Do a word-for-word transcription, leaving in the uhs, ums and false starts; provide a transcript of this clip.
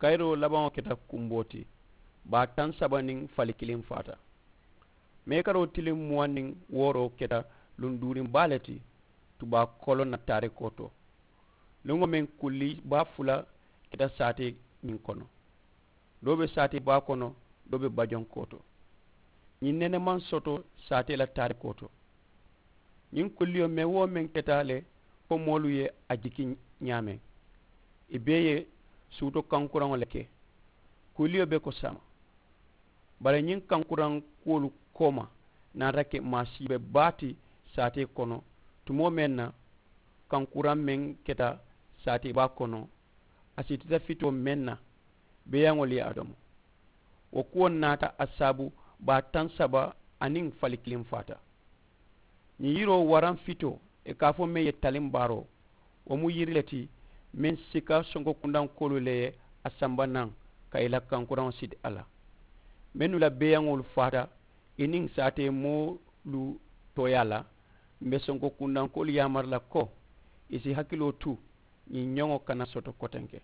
Kayiroo labaŋo keta kumboo ti. Baa taŋ saba niŋ fali kiliŋ faata. Meekaroo tiliŋ muwaŋ niŋ wooroo keta luŋ duuriŋ baa le ti. Tubaa koloŋ na taarikoo to. Luŋo meŋ kulli baa fula keta saatee ñiŋ kono. Doo be saatee baa kono, doo be bajoŋ kooto. Ñiŋ nene maŋ soto saatee la taarikoo to. Ñiŋ kulliyo meŋ wo meŋ keta le, fo moolu ye a jiki ñaameŋ. I bee ye suuto kankuraŋo le ke. Kulliyo be ko saama. Bari ñiŋ kankuraŋ kuwolu kooma naata ke maasiibe baa ti saatee kono. Tumoo meŋ na kankuraŋ meŋ keta saatee baa kono, a sitita fitoo meŋ na, beeyaŋolu ye a domo. Wo kuwo naata a saabu baa taŋ saba aniŋ fali kiliŋ faata. Ñiŋ yiroo waraŋ fitoo, ì ka a fo meŋ ye taliŋ baaroo, wo mu yiri le ti meŋ sika sonko kundankoolu le ye a samba naŋ ka ì la kankuraŋo siti a la. Mennu la beeyaŋolu faata ì niŋ saatee moolu tooyaa la, m̀ be sonko kundankoolu yaamari la ko ì si hakiloo tu ñiŋ ñoŋo kana soto kotenke.